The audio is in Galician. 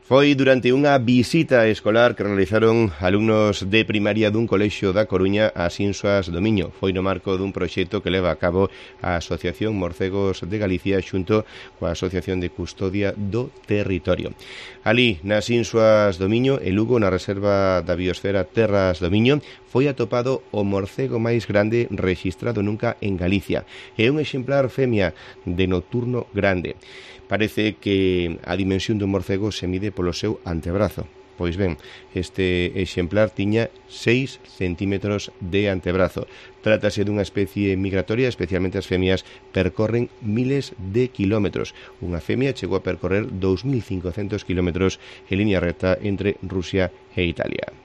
Foi durante unha visita escolar que realizaron alumnos de primaria dun colexio da Coruña ás Insuas do Miño. Foi no marco dun proxecto que leva a cabo a Asociación Morcegos de Galicia xunto coa Asociación de Custodia do Territorio. Ali, nas Insuas do Miño, en Lugo, na Reserva da Biosfera Terras do Miño, foi atopado o morcego máis grande rexistrado nunca en Galicia. É un exemplar femia de nocturno grande. Parece que a dimensión dun morcego se mide polo seu antebrazo. Pois ben, este exemplar tiña 6 centímetros de antebrazo. Trátase dunha especie migratoria, especialmente as femias percorren miles de kilómetros. Unha femia chegou a percorrer 2.500 kilómetros en línea recta entre Rusia e Italia.